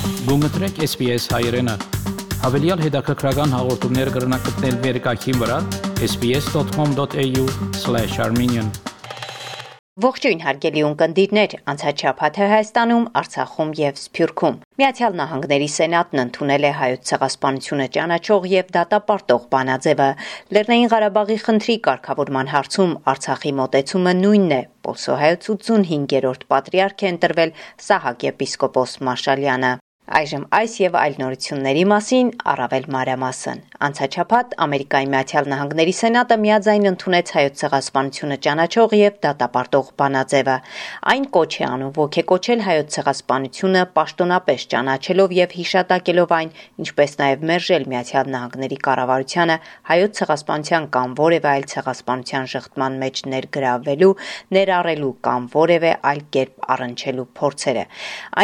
Գումտրեք SPS հայերեն հավելյալ հետաքրքրական հաղորդումներ կգրնակցնել վերկայքին վրա sbs.com.au/armenian Ողջույն հարգելի ունկնդիրներ, անցած շաբաթը Հայաստանում, Արցախում եւ Սփյուռքում Միացյալ Նահանգների Սենատն ընդունել է հայոց ցեղասպանությունը ճանաչող եւ դատապարտող բանաձևը։ Լեռնային Ղարաբաղի խնդրի կարգավորման հարցում Արցախի մոտեցումը նույնն է։ Պոլսոհայոց 85-րդ պատրիարք է ընտրվել Սահակ եպիսկոպոս Մարշալյանը։ Այժմ այս եւ այլ նորությունների մասին առավել մանրամասն։ Անցած շաբաթ Ամերիկայի Միացյալ Նահանգների Սենատը միաձայն ընդունեց հայոց ցեղասպանությունը ճանաչող եւ դատապարտող բանաձևը։ Այն կոչ է անում ոգեկոչել հայոց ցեղասպանությունը պաշտոնապես ճանաչելով եւ հիշատակելով այն, ինչպես նաեւ մերժել Միացյալ Նահանգների կառավարությանը հայոց ցեղասպանության կամ որևէ այլ ցեղասպանության շղթման մեջ ներգրավվելու, ներառելու կամ որևէ այլ կերպ առնչելու փորձերը։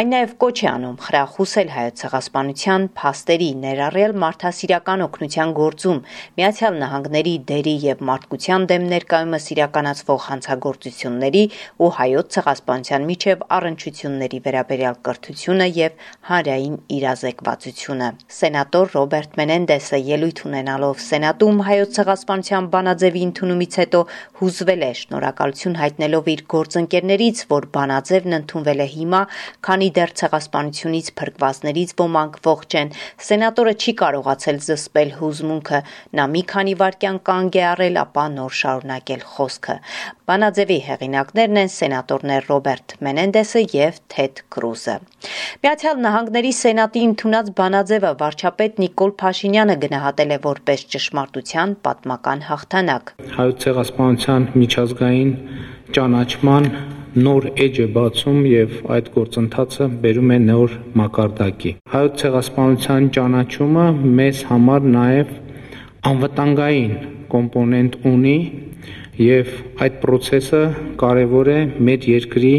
Այն նաեւ կոչ է անում խրախուսել հայոց ցեղասպանության փաստերի ներառյալ մարդասիրական օգնության գործում Միացյալ Նահանգների դերի եւ մարդկության դեմ ներկայումս իրականացվող հանցագործությունների ու հայոց ցեղասպանության միջև առնչությունների վերաբերյալ կրթությունը եւ հանրային իրազեկվածությունը։ Սենատոր Ռոբերտ Մենենդեսը ելույթ ունենալով Սենատում հայոց ցեղասպանության բանաձևի ընդունումից հետո հուզվել է, շնորհակալություն հայտնելով իր գործընկերներից, որ բանաձևն ընդունվել է հիմա, քանի դեռ ցեղասպանությունից փրկվածներից ոմանք ողջ են։ Սենատորը չի կարողացել զսպել հուզմունքը, նա մի քանի վայրկյան կանգ է առել, ապա նոր շարունակել խոսքը։ Բանաձևի հեղինակներն են սենատորներ Ռոբերտ Մենենդեսը եւ Թեդ Կրուզը։ Միացյալ Նահանգների Սենատի ընդունած բանաձևը վարչապետ Նիկոլ Փաշինյանը գնահատել է որպես ճշմարտության պատմական հաղթանակ։ Հայոց ցեղասպանության միջազգային ճանաչման նոր էջ է բացում եւ այդ գործընթացը բերում է նոր մակարդակի։ Հայոց ցեղասպանության ճանաչումը մեզ համար նաեւ անվտանգային կոմպոնենտ ունի եւ այդ process-ը կարեւոր է մեր երկրի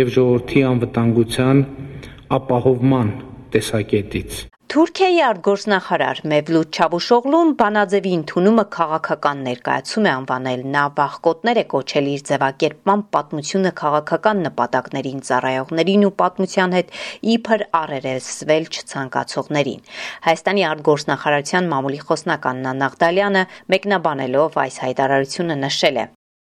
եւ ժողովրդի անվտանգության ապահովման տեսակետից։ Թուրքիայի արտգործնախարար Մևլութ Չավուշօղլուն բանաձևի ընդունումը քաղաքական ներկայացում է անվանել։ Նա վախկոտներ է կոչել իր ձևակերպման պատմությունը քաղաքական նպատակներին ծառայողներին ու պատմության հետ իբր առերեսվել չցանկացողներին։ Հայաստանի արտգործնախարարության մամուլի խոսնակ Աննա Նաղդալյանը մեկնաբանելով այս հայտարարությունը նշել է.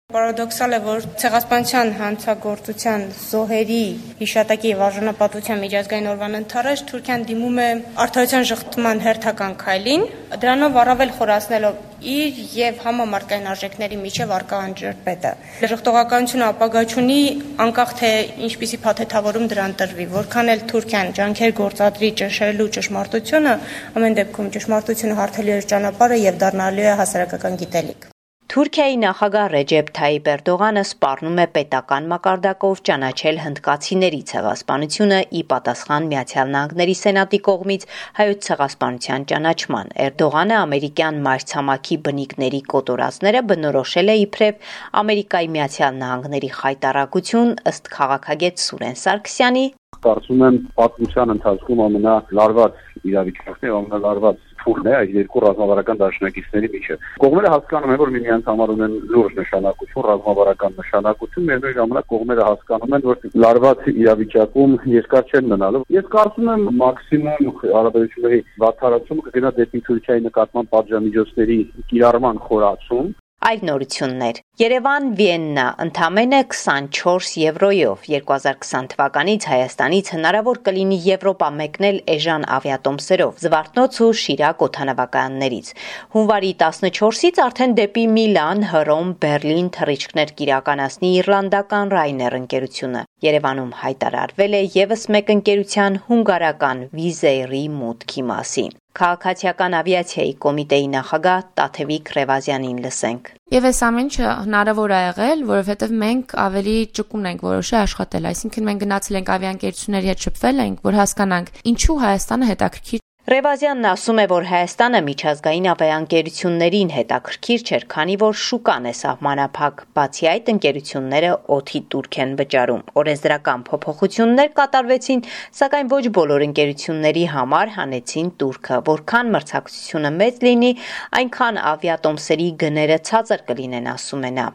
Պարադոքսալ է, որ ցեղասպանության հանցագործության զոհերի հիշատակի եւ արժանապատվության միջազգային օրվան ընթառաջ Թուրքիան դիմում է արդարության շղթման հերթական քայլին, դրանով առավել խորացնելով իր եւ համամարտկային արժեքների միջև առկա անջրպետը։ Ժխտողականությունը ապագա չունի, անկախ թե ինչպիսի փաթեթավորում դրան տրվի, որքան էլ Թուրքիան ջանքեր գործադրի ճշերելու ճշմարտությունը, ամեն դեպքում ճշմարտությունը հարթելու է ճանապարհը եւ դառնալու է հասարակական գիտելիք։ Թուրքիայի նախագահ Ռեջեփ Թայիփ Էրդողանը սպառնում է պետական մակարդակով ճանաչել հնդկացիների ցեղասպանությունը ի պատասխան Միացյալ Նահանգների Սենատի կողմից հայոց ցեղասպանության ճանաչման։ Էրդողանը ամերիկյան մայրցամաքի բնիկների կոտորածները բնորոշել է իբրև Ամերիկայի Միացյալ Նահանգների խայտառակություն, ըստ քաղաքագետ Սուրեն Սարգսյանի։ Կարծում եմ պատմության ընթացքում ամենալարված իրավիճակն է, ամենալարված փուլն է այս երկու ռազմավարական դաշնակիցների միջև։ Կողմերը հասկանում են, որ միմյանց համար ունեն լուրջ նշանակություն, ռազմավարական նշանակություն, միևնույն ժամանակ կողմերը հասկանում են, որ լարված իրավիճակում երկար չեն մնալու։ Ես կարծում եմ մաքսիմում հարաբերությունների վատթարացումը կգնա դեպի Թուրքիայի նկատմամբ պատժամիջոցների կիրառման խորացում։ Այլ նորություններ։ Երևան, Վիեննա ընդամենը 24 եվրոյով 2020 թվականից Հայաստանից հնարավոր կլինի Եվրոպա մեկնել էժան ավիատոմսերով, Զվարթնոց ու Շիրակ օդանավակայաններից։ Հունվարի 14-ից արդեն դեպի Միլան, Հռոմ, Բերլին թռիչքներ կիրականացնի իռլանդական Ryanair ընկերությունը։ Երևանում հայտարարվել է եւս մեկ ընկերության հունգարական Wizz Air-ի մուտքի մասին։ Քաղաքացիական ավիացիայի կոմիտեի նախագահ Տաթևիկ Ռևազյանին լսենք։ Եվ այս ամեն ինչը հնարավոր է եղել, որովհետև մենք ավելի ճկուն ենք որոշել աշխատել, այսինքն մենք գնացել ենք ավիաընկերությունների հետ շփվել ենք, որ հասկանանք ինչու Հայաստանը հետաքրքիր Ռևազյանն ասում է, որ Հայաստանը միջազգային ավիաընկերություններին հետաքրքիր չէր, քանի որ շուկան է սահմանափակ, բացի այդ ընկերությունները օդի տուրք են վճարում։ Օրենսդրական փոփոխություններ կատարվեցին, սակայն ոչ բոլոր ընկերությունների համար հանեցին տուրքը, որքան մրցակցությունը մեծ լինի, այնքան ավիատոմսերի գները ցածր կլինեն, ասում է նա։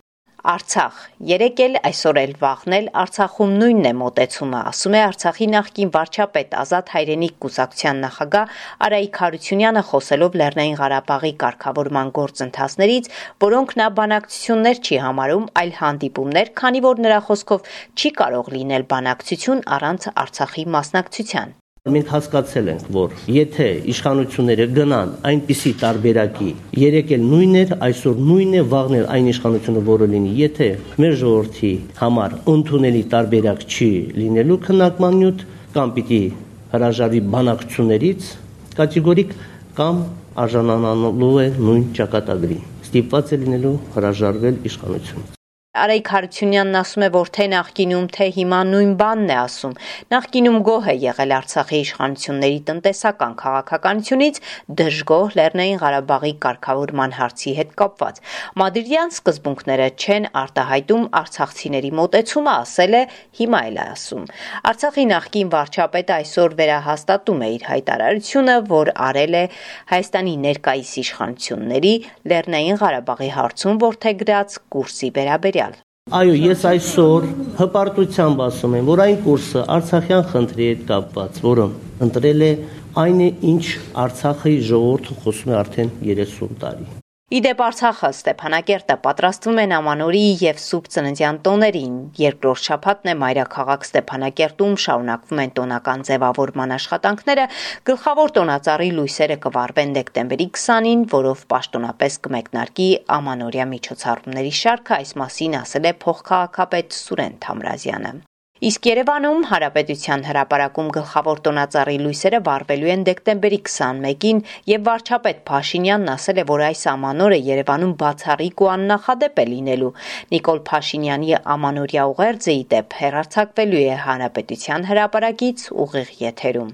Արցախ երեկ էլ այսօր էլ վաղն էլ Արցախում նույնն է մոտեցումը, ասում է Արցախի նախկին վարչապետ Ազատ Հայրենիք կուսակցության նախագահ Արայիկ Հարությունյանը, խոսելով Լեռնային Ղարաբաղի կարգավորման գործընթացներից, որոնք նա բանակցություններ չի համարում, այլ հանդիպումներ, քանի որ նրա խոսքով չի կարող լինել բանակցություն առանց Արցախի մասնակցության։ Մենք հասկացել ենք, որ եթե իշխանությունները գնան այնպիսի տարբերակի, երեկ էլ նույնն էր, այսօր նույնն է, վաղն էլ այն իշխանությունը, որը լինի, եթե մեր ժողովրդի համար ընդունելի տարբերակ չի լինելու քննարկման նյութ, կամ պիտի հրաժարվի բանակցություններից կատեգորիկ, կամ արժանանալու է նույն ճակատագրի, ստիպված է լինելու հրաժարվել իշխանությունը։ Արայիկ Հարությունյանն ասում է, որ թե նախկինում, թե հիմա նույն բանն է ասում։ Նախկինում գոհ է եղել Արցախի իշխանությունների տնտեսական քաղաքականությունից, դժգոհ Լեռնային Ղարաբաղի կարգավորման հարցի հետ կապված։ Մադրիդյան սկզբունքները չեն արտահայտում արցախցիների մոտեցումը, ասել է, հիմա էլ է ասում։ Արցախի նախկին վարչապետը այսօր վերահաստատում է իր հայտարարությունը, որ արել է Հայաստանի ներկայիս իշխանությունների Լեռնային Ղարաբաղի հարցում որդեգրած կուրսի վերաբերյալ։ Այո, ես այսօր հպարտությամբ ասում եմ, որ այն կուրսը Արցախյան խնդրի հետ կապված, որը ընտրել է այն է, ինչ Արցախի ժողովուրդը խոսում է արդեն 30 տարի։ Իդեպ Արցախը, Ստեփանակերտը պատրաստվում են Ամանորի եւ Սուրբ Ծննդյան տոներին։ Երկրորդ շաբաթն է մայրաքաղաք Ստեփանակերտում շարունակվում են տոնական ձևավորման աշխատանքները։ Գլխավոր տոնածառի լույսերը կվառվեն դեկտեմբերի 20-ին, որով պաշտոնապես կմեկնարկի Ամանորյա միջոցառումների շարքը, այս մասին ասել է փոխքաղաքապետ Սուրեն Թամրազյանը։ Իսկ Երևանում Հանրապետության հրապարակում գլխավոր տոնածառի լույսերը վառվելու են դեկտեմբերի 21-ին եւ վարչապետ Փաշինյանն ասել է, որ այս ամանորը Երևանում բացառիկ ու աննախադեպ է լինելու։ Նիկոլ Փաշինյանի ամանորյա ուղերձը ի դեպ հեռարձակվելու է Հանրապետության հրապարակից ուղիղ եթերում։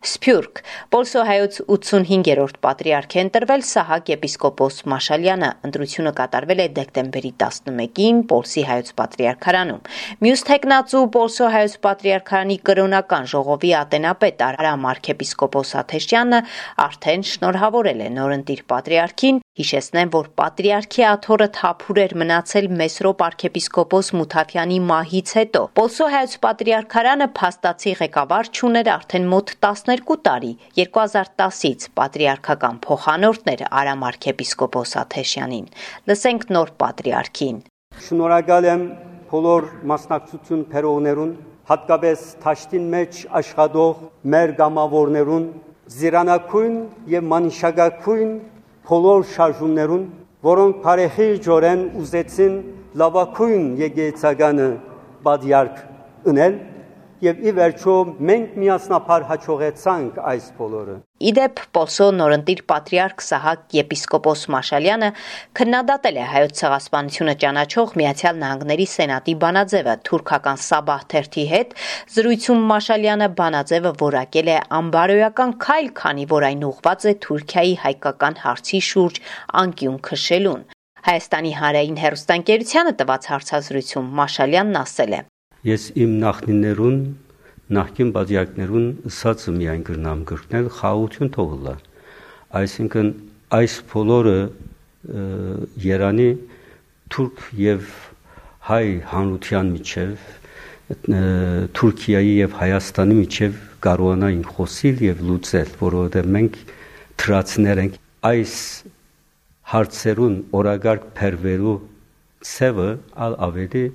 Սփյուռք Պոլսո հայոց 85-րդ պատրիարք է ընտրվել Սահակ եպիսկոպոս Մաշալյանը, ընտրությունը կատարվել է դեկտեմբերի 11-ին Պոլսի հայոց պատրիարքարանում։ Մյուս թեկնածու Պոլսո հայոց պատրիարքարանի կրոնական ժողովի ատենապետ Արամ arczepiskopos Աթեշյանը արդեն շնորհավորել է նորընտիր պատրիարքին, հիշեցնեմ, որ պատրիարքի աթոռը թափուր էր մնացել Մեսրոպ arczepiskopos Մութաֆյանի մահից հետո։ Պոլսո հայոց պատրիարքարանը փաստացի ղեկավար չուներ արդեն մոտ 12 տարի, 2010-ից պատրիարքական փոխանորդն էր Արամ arczepiskopos Աթեշյանին։ Լսենք նոր պատրիարքին։ Շնորհակալ եմ բոլոր մասնակցություն բերողներուն, հատկապես Թաշտին մեջ աշխատող մեր գամավորներուն, զիրանակույն եւ մանիշակակույն բոլոր շարժումներուն, որոնք բարեխի ջորեն ուզեցին լավակույն եկեղեցականը բادیարք ունել եւ ի վերջո մենք միասնապար հաջողեցանք այս բոլորը։ Իդեպ Պոլսո նորընտիր պատրիարք Սահակ եպիսկոպոս Մաշալյանը քննադատել է հայոց ցեղասպանությունը ճանաչող Միացյալ Նահանգների Սենատի բանաձևը թուրքական Սաբահ թերթի հետ։ Զրույցում Մաշալյանը բանաձևը որակել է անբարոյական քայլ, քանի որ այն ուղղված է Թուրքիայի հայկական հարցի շուրջ անկյուն քշելուն։ Հայաստանի հանրային հեռուստաընկերությանը տված հարցազրույցում Մաշալյանն ասել է. Ես իմ նախնիներուն, նախկին բادیակներուն ըսածը միայն գրնամ գրկնել խաղաղություն թողնելա։ Այսինքն այս բոլորը Երանի թուրք եւ հայ հանրության միջև, Թուրքիայի եւ Հայաստանի միջև կարողանային խոսիլ եւ լուծել, որովհետեւ մենք թրացներ ենք այս հարցերուն օրագարկ փերվելու ցևը ավելի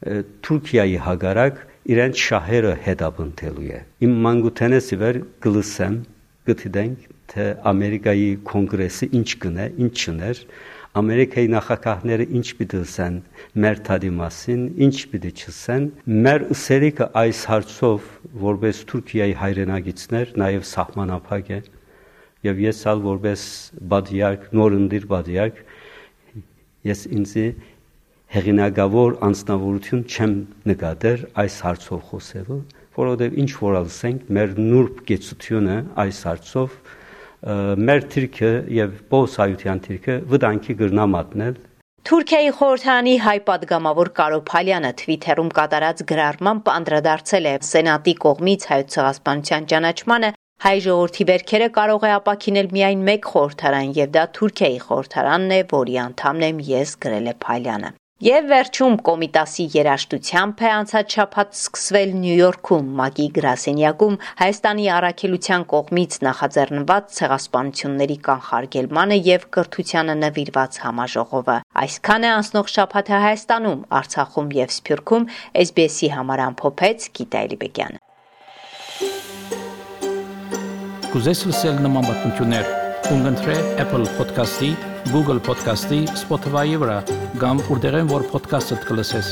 Թուրքիայի հագարակ իրենց շահերը հետապնդելու է։ Իմ մանկութենես իվեր գլսեմ, գտիդենք, թե Ամերիկայի կոնգրեսը ինչ կնե, ինչ չներ, Ամերիկայի նախագահները ինչ պիտի ասեն մեր թադի մասին, ինչ պիտի չասեն, մեր ուսերիկը այս հարցով որպես Թուրքիայի հայրենագիցներ նաև սահմանափակ է, եւ ես ալ որպես բادیարք, նորընտիր բادیարք, ես ինձի հեղինակավոր անձնավորություն չեմ նկատել այս հարցով խոսելու, որովհետև ինչ որ ասենք, մեր նուրբ գեցությունը այս հարցով մեր թիրքը եւ բոսայության թիրքը վտանգի գրնա մատնել։ Թուրքիայի խորհրդարանի հայ պատգամավոր Կարո Փալյանը Twitter-ում կատարած գրառմամբ անդրադարձել է Սենատի կողմից հայոց ցեղասպանության ճանաչմանը։ Հայ ժողովրդի վերքերը կարող է ապաքինել միայն մեկ խորհրդարան, եւ դա Թուրքիայի խորհրդարանն է, որի անդամն եմ ես, գրել է Փալյանը։ Եվ վերջում Կոմիտասի երաժշտությամբ է անցած շաբաթ սկսվել Նյու Յորքում ՄԱԿ-ի գրասենյակում Հայաստանի առաքելության կողմից նախաձեռնված ցեղասպանությունների կանխարգելմանը եւ կրթությանը նվիրված համաժողովը։ Այսքան է անցնող շաբաթը Հայաստանում, Արցախում եւ Սփյուռքում SBS-ի համար ամփոփեց Գիտա Էլիբեկյանը։ Կուզես լսել նման բանություններ, կընտրե Apple Podcast-ի, Google Podcast-ի, Spotify-ի վրա, կամ որտեղեն որ podcast-ը կլսես։